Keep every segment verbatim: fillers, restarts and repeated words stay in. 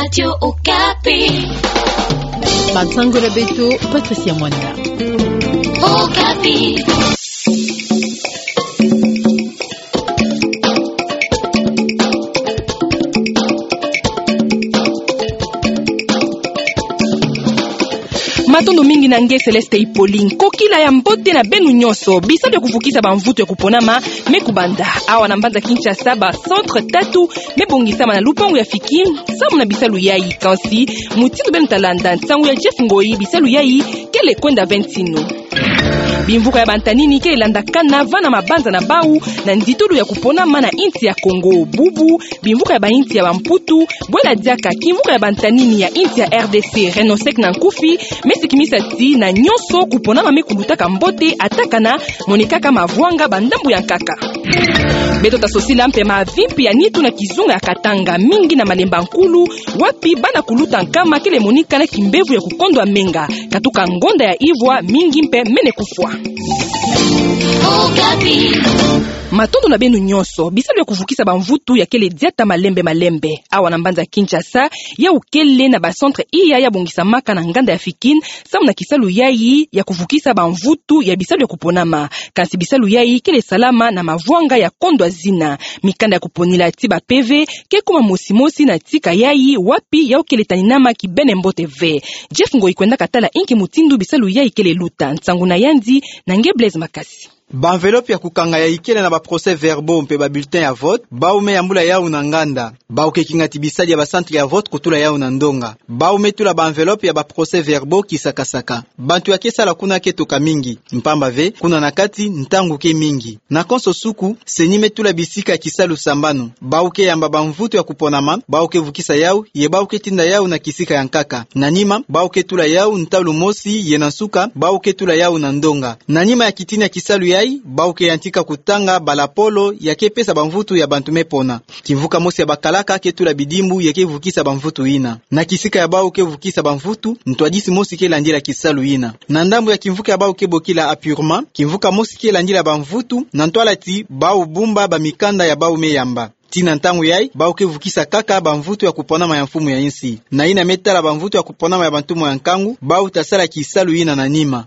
Radio Okapi. Bansango na beto, Patricia Mwanila. Okapi. Matondo mingi na nge Céleste Hippolyte. Kokila ya mbote na beno nyonso. Bisalu ya kuvukisa bamvutu ya kuponama me kubanda. Awa na mbanza Kinshasa, ba centre tatu me bongisama na lupangu ya Fikin, samu na bisalu yayi. Kansi, mutindu beno ta landa nsangu ya Jeff Ngoyi, bisalu yayi kele kwenda ve ntinu. Bimvuka ya bantanini kele landakana va na mabanza na bau, na nditulu ya kuponama na insi ya Congo. Bubu, bimvuka ya bainsi ya Bamputu, bwela diaka kimvuka ya bantanini ya insi ya R D C, Renosec na nkufi, me sikimisa ti na nyonso kuponama me kulutaka mbote, atakana, monikaka mavwanga bandambu ya nkaka. Beto ta sosila mpe mavimpi ya nitu na kizunga ya Katanga, mingi na Malemba Nkulu, wapi bana kuluta nkama kele monika na kimbevo ya kukondwa menga, katuka ngonda ya ivwa, mingi mpe mene kufwa. Okapi. Matondo na beno nyonso. Bisalu ya kuvukisa bamvutu ya kele diata malembe malembe. Awa na mbanza Kinshasa, yau kele na ba centre iya ya bongisamaka na nganda ya Fikin, samu na kisalu yayi ya kuvukisa bamvutu ya bisalu ya kuponama. Kansi bisalu yayi kele salama na mavwanga ya kondwa zina. Mikanda ya kuponila ti ba P V ke kuma mosi mosi na tika yayi, wapi yau kele taninama kibene mbote ve. Jeff Ngoyi kwendaka tala inki mutindu bisalu yayi kele luta. Nsangu na yandi na nge Blaise Makasi. Ba enveloppe ya kukanga yayi kele na ba procès-verbaux mpe ba bulletins ya vote, bau me yambula yau na nganda. Bau ke kinga ti bisadi ya ba centre ya vote kutula yau na ndonga. Bau me tula ba enveloppe ya ba procès-verbaux kisakasaka. Bantu ya ke sala kuna ke toka mingi, mpamba ve, kuna na kati, ntangu ke mingi. Na konso suku, CENI me tula bisika ya kisalu sambanu. Bau ke yamba bamvutu ya kuponama, bau ke vukisa yau, ye bau ke tinda yau na kisika ya nkaka. Na nima, bau ke tula yau ntalu mosi, ye na nsuka, bau ke tula yau na ndonga. Na nima ya kitini ya kisalu yayi, bau ke yantika kutanga ba lapolo ya ke pesa bamvutu ya bantu me pona. Kimvuka mosi ya bakalaka ke tula bidimbu ya ke vukisa bamvutu yina. Na kisika ya bau ke vukisa bamvutu, ntwadisi mosi ke landila kisalu yina. Na ndambu ya kimvuka ya bau ke bokila apurement, kimvuka mosi ke landila bamvutu, na ntwala ti bau bumba bamikanda ya bau me yamba. Tii na ntangu yayi, bau ke vukisa kaka bamvutu ya kuponama ya mfumu ya insi. Na yina me tala bamvutu ya kuponama ya bantumu ya nkangu, bau ta sala kisalu yina na nima.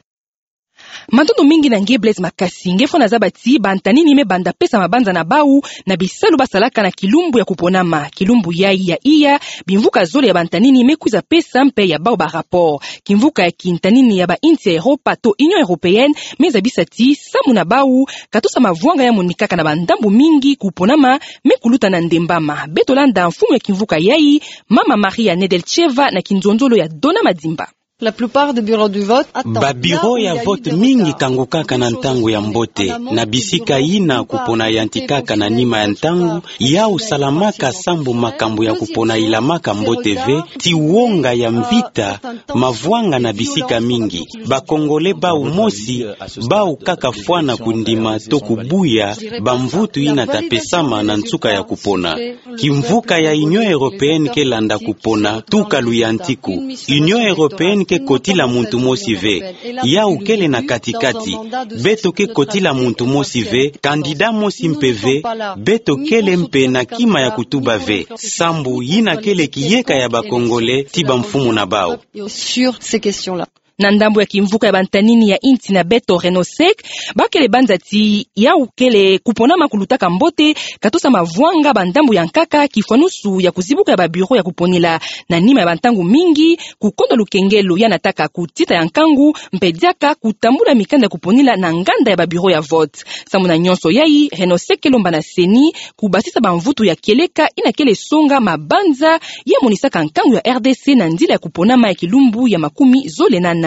Matondo mingi na nge Blaise Makasi. Nge fwana zaba ti bantanini me banda pesa mabanza na bau na bisalu ba salaka na kilumbu ya kuponama. Kilumbu yayi ya iya, bimvuka zole ya bantanini me kwiza pesa mpe ya bau ba rapport. Kimvuka ya kintanini ya bainsi ya Europa to Union Européenne me zabisa ti samu na bau, katusa mavwanga ya monikaka na bandambu mingi, kuponama me kuluta na ndembama. Beto landa mfumu ya kimvuka yayi, Mama Maria Nedelcheva, na kinzonzolo ya Dona Madimba. La plupart des bureaux de vote attendent là où il y a eu des retards. Ba bureau ya vote mingi kangukaka na ntangu ya mbote, na bisika yina kupona yantikaka na nima ya ntangu, yau salamaka sambu makambu ya kupona ilamaka mbote ve, ti wonga ya mvita, mavwanga na bisika mingi. Ba Congolais bau mosi, bau kaka fwana kundima to kubuya bamvutu yina ta pesama na nsuka ya kupona. Kimvuka ya Union Européenne ke landa kupona tuka luyantiku. Union Européenne ke kotila muntu mosi ve. Yau kele na kati-kati. Beto ke kotila muntu mosi ve, candidat mosi mpe ve, beto kele mpe na kima ya kutuba ve. Sambu yina kele kiyeka ya ba Congolais ti bamfumu na bau. Sur ces questions-là. Na ndambu ya kimvuka ya bantanini ya insi na beto Renosec, ba kele banza ti yau kele kuponama kulutaka mbote, katusa mavwanga bandambu ya nkaka, kifwanusu ya kuzibuka ya ba bureau ya kuponila na nima ya bantangu mingi, kukondo lukengelo ya nataka kutita ya nkangu, mpe diaka kutambula mikanda ya kuponila na nganda ya ba bureau ya vote. Samu na nyonso yayi, Renosec ke lomba na CENI kubasisa bamvutu ya kieleka yina kele songa mabanza ya monisaka nkangu ya R D C na nzila ya kuponama ya kilumbu ya makumi zole na nana.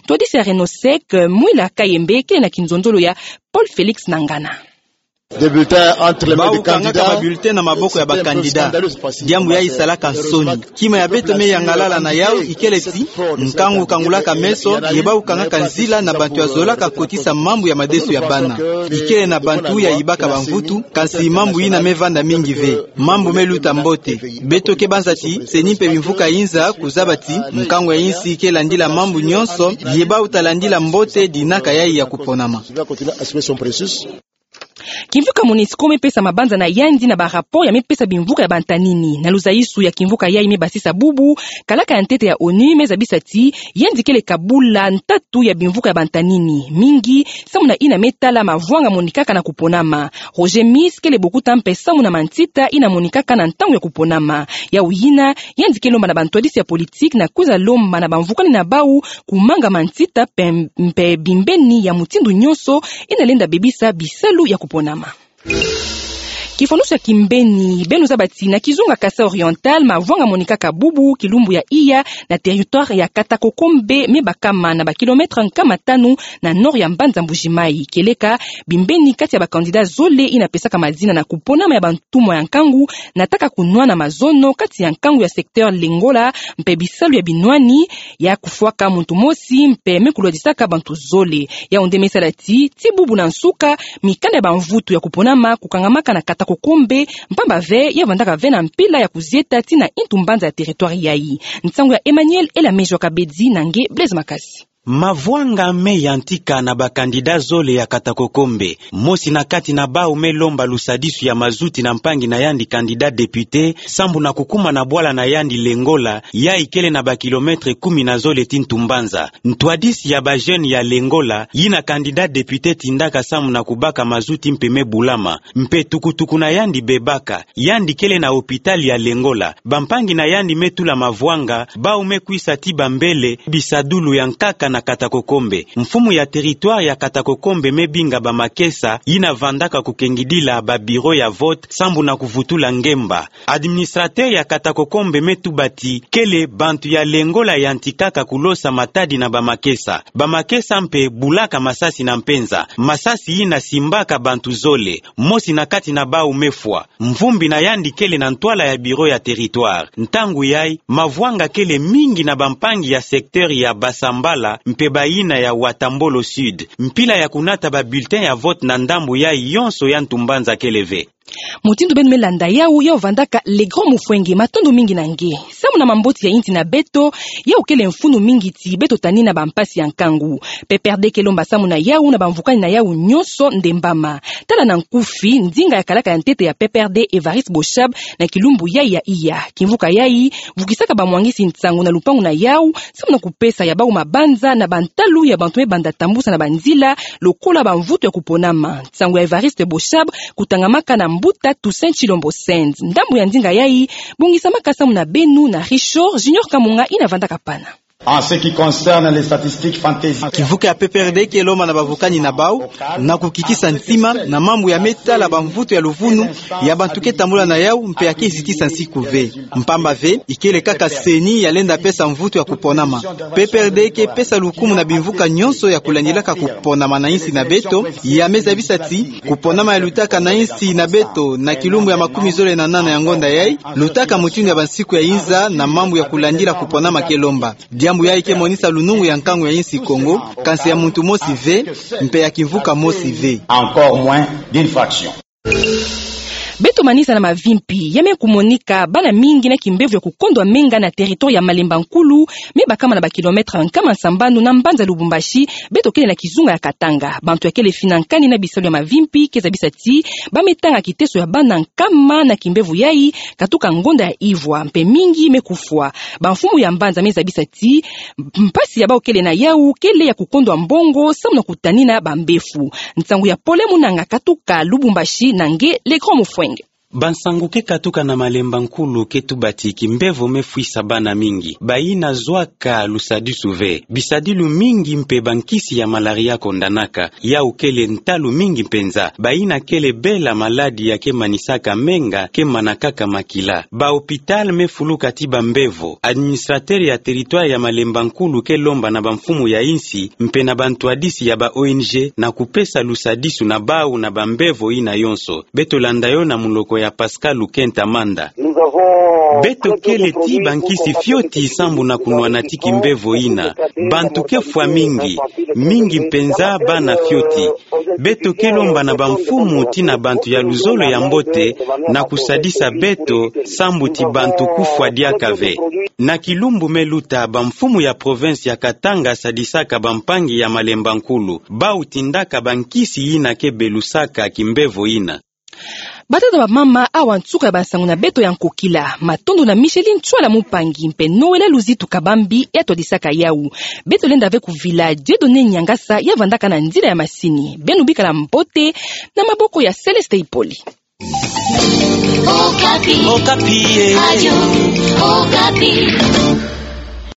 Ntwadisi ya Renosec, Mwila Kayembe, kele na kinzonzolo ya Paul Félix Nangana. Bau kangaka ba bulletin na maboko ya ba candidat. Diambu yayi salaka nsoni. Kima ya beto me yangalala na yau ikele ti nkangu kangulaka meso, ye bau kangaka nzila na bantu ya zolaka kotisa mambu ya madesu ya bana. Ikele na bantu ya yibaka bamvutu, kansi mambu yina me vanda mingi ve. Mambu me luta mbote. Beto ke banza ti CENI mpe bimvuka yinza kuzaba ti nkangu ya insi ke landila mambu nyonso, ye bau ta landila mbote dinaka yayi ya kuponama. Kimvuka Monusco mepesa mabanza na yandi na ba rapport ya mepesa bimvuka ya bantanini. Na luzaisu ya kimvuka yayi mebasisa bubu, kalaka ya ntete ya onu mezabisa ti yandi kele kabula ntatu ya bimvuka ya bantanini mingi, samu na yina metala mavwanga monikaka na kuponama. Roger Mis kele bokuta mpe samu na mantita yina monikaka na ntangu ya kuponama. Yawu yina, yandi ke lomba na bantwadisi ya politiki na kwiza lomba na bamvukani na bawu kumanga mantita mpe, mpe bimbeni ya mutindu nyonso yina lenda bebisa bisalu ya kuponama. Kifwanusu ya kimbeni, beno zaba ti na kizunga Kasaï Oriental, mavwanga monikaka bubu kilumbu ya iya na territoire ya Katakokombe, mebakama na ba kilomètre nkama tanu na nord ya mbanza Mbuji-Mayi. Kieleka bimbeni kati ya ba candidat zole yina pesaka madina na kuponama ya bantumwa ya nkangu, nataka kunwana mazono kati ya nkangu ya secteur Lengola, mpe bisalu ya binwani ya kufwaka muntu mosi mpe me kulwadisaka bantu zole. Yawu nde mesala ti, ti bubu na nsuka, mikanda ya bamvutu ya kuponama kukangamaka na Katakokombe, mpamba ve ya vandaka ve na mpila ya kuzieta ti na yintu mbanza ya territoire yayi. Nsangu ya Emmanuel Elamejwa Kabedi na nge Blaise Makasi. Mavwanga me yantika na ba candidat zole ya Katakokombe. Mosi na kati na bawu me lomba lusadisu ya mazuti na mpangi na yandi candidat député, sambu na kukuma na bwala na yandi Lengola, yayi kele na ba kilomètre kumi na zole ti ntu mbanza. Ntwadisi ya ba jeune ya Lengola, yina candidat député tindaka samu na kubaka mazuti mpe me bulama. Mpe tukutuku na yandi bebaka, yandi kele na hôpital ya Lengola. Bampangi na yandi me tula mavwanga, bawu me kwisa ti bambele bisadulu ya nkaka na Katakokombe. Mfumu ya territoire ya Katakokombe me binga bamakesa yina vandaka kukengidila ba bureau ya vote sambu na kuvutula ngemba. Administrateur ya Katakokombe me tuba ti kele bantu ya Lengola yantikaka kulosa matadi na bamakesa. Bamakesa mpe bulaka masasi na mpenza. Masasi yina simbaka bantu zole. Mosi na kati na bawu me fwa. Mvumbi na yandi kele na ntwala ya bureau ya territoire. Ntangu yayi, mavwanga kele mingi na bampangi ya secteur ya Basambala mpe bayina ya Watambolo Sud. Mpila ya kunata ba bulletin ya vote na ndambu yayi yonso ya ntu mbanza kele ve. Mutindu beno me landa yawu, yawu vandaka Le Grand Mufwenge, matondo mingi na nge. Samu na mamboti ya yinsi na beto, yawu kele mfunu mingi ti beto tanina bampasi ya nkangu. P P R D ke lomba samu na yawu na bamvukani na yawu nyonso ndembama. Tala na nkufi ndinga ya kalaka ya ntete ya P P R D Évariste Boshab na kilumbu yayi ya iya. Kimvuka yayi vukisaka bamwangisi nsangu na lupangu na yawu, samu na kupesa ya bawu mabanza na bantalu ya bantu me banda tambusa na banzila lokola bamvutu ya kuponama. Nsangu ya Évariste Boshab kutangamaka na mbuta Toussaint Tshilombo Send. Ndambu ya ndinga yayi bongisamaka samu na beno na Richard Junior Kamunga yina vandaka pana. En ce qui concerne les statistiques fantaisies. Kimvuka ya P P R D ke lomba na bavukani na bawu na kukitisa ntima na mambu ya me tala bamvutu ya luvunu ya bantu ke tambula na yawu mpe ya ke zitisa nsiku ve. Mpamba ve, ikele kaka C E N I ya lenda pesa mvutu ya kuponama. P P R D ke pesa lukumu na bimvuka nyonso ya kulandilaka kuponama na yinsi na beto, ya me zabisa ti kuponama ya lutaka na yinsi na beto na kilumbu ya makumi zole na nana ya ngonda yayi, lutaka mutindu ya bansiku ya yinza na mambu ya kulandila kuponama ke lomba. Diambu yayi ke monisa lunungu ya nkangu ya yinsi Kongo, kansi ya muntu mosi ve, mpe ya kimvuka mosi ve. Encore moins d'une fraction. Beto manisa na mavimpi ya me kumonika bana mingi na kimbevo ya kukondwa menga na territoire ya Malemba Nkulu, me bakama na ba kilomètre nkama sambanu na mbanza Lubumbashi, beto kele na kizunga ya Katanga. Bantu ya kele finankani na bisalu ya mavimpi ke zabisa ti ba me tanga kiteso ya bana nkama na kimbevo yayi, katuka ngonda ya ivwa, mpe mingi me kufwa. Bamfumu ya mbanza me zabisa ti mpasi ya bawu kele na yawu kele ya kukondwa mbongo samu na kutanina bambefu. Nsangu ya Pole Munanga katuka Lubumbashi na nge Le Grand Mufwenge. Bansangu ke katuka na Malemba Nkulu ke tuba ti kimbevo me fwisa bana mingi. Bayina zwaka lusadisu ve. Bisadilu mingi mpe bankisi ya malaria kondanaka. Yawu kele ntalu mingi mpenza. Bayina kele bela maladi ya ke manisaka menga ke manakaka makila. Ba hôpital me fuluka ti bambevo. Administrateur ya territoire ya Malemba Nkulu ke lomba na bamfumu ya yinsi mpe na bantwadisi ya ba O N G na kupesa lusadisu na bawu na bambevo yina yonso. Beto landa yo na muloko ya Pascal Lukenta Manda. Beto kele ti bankisi fioti sambu na kunwana ti kimbevo ina. Bantu ke fwa mingi, mingi mpenza bana fioti. Beto ke lomba na bamfumu ti na bantu ya luzolo ya mbote na kusadisa beto sambu ti bantu kufwa diaka ve. Na kilumbu me luta, bamfumu ya province ya Katanga sadisaka bampangi ya Malemba Nkulu, bau tindaka bankisi ina ke belusaka kimbevo ina. Batata, bamama, awa nsuka ya bansangu na beto ya nkokila. Matondo na Micheline Ntsoila, mumpangi, mpe Noëlla Luzitu Kabambi ya twadisaka yawu. Beto lenda ve kuvila Dieudonné Niangasa ya vandaka na nzila ya masini. Beno bikala mbote na maboko ya Céleste Ipoli. Okapi. Okapi, eh. Radio Okapi.